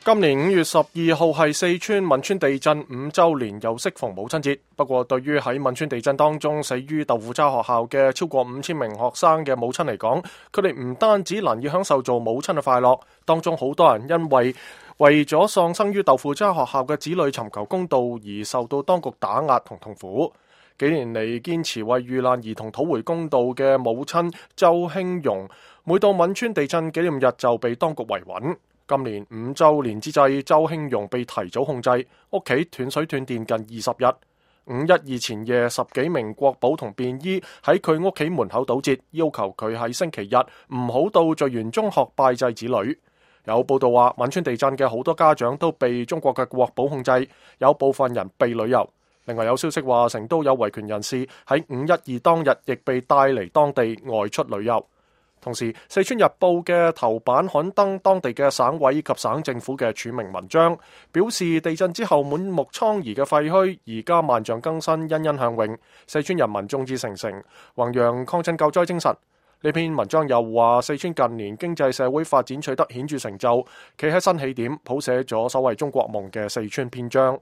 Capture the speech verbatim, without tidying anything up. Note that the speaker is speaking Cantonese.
今年五月十二號係四川汶川地震五週年，又適逢母親節。不過，對於喺汶川地震當中死於豆腐渣學校嘅超過五千名學生嘅母親嚟講，佢哋唔單止難以享受做母親嘅快樂，當中好多人因為為咗喪生於豆腐渣學校嘅子女尋求公道而受到當局打壓同痛苦。幾年嚟堅持為遇難兒童討回公道嘅母親周興蓉，每到汶川地震紀念日就被當局維穩。今年五週年之際，周興蓉被提早控制，屋企斷水斷電近二十日。五一二前夜，十幾名國保同便衣喺佢屋企門口堵截，要求佢喺星期日唔好到聚源中學拜祭子女。有報道話，汶川地震嘅好多家長都被中國嘅國保控制，有部分人被旅遊。另外有消息話，成都有維權人士喺五一二當日亦被帶離當地外出旅遊。同時，四川日報嘅頭版刊登當地嘅省委及省政府嘅署名文章，表示地震之後滿目瘡痍嘅廢墟，而家萬象更新，欣欣向榮。四川人民眾志成城，弘揚抗震救災精神。呢篇文章又話，四川近年經濟社會發展取得顯著成就，企喺新起點，譜寫咗所謂中國夢嘅四川篇章。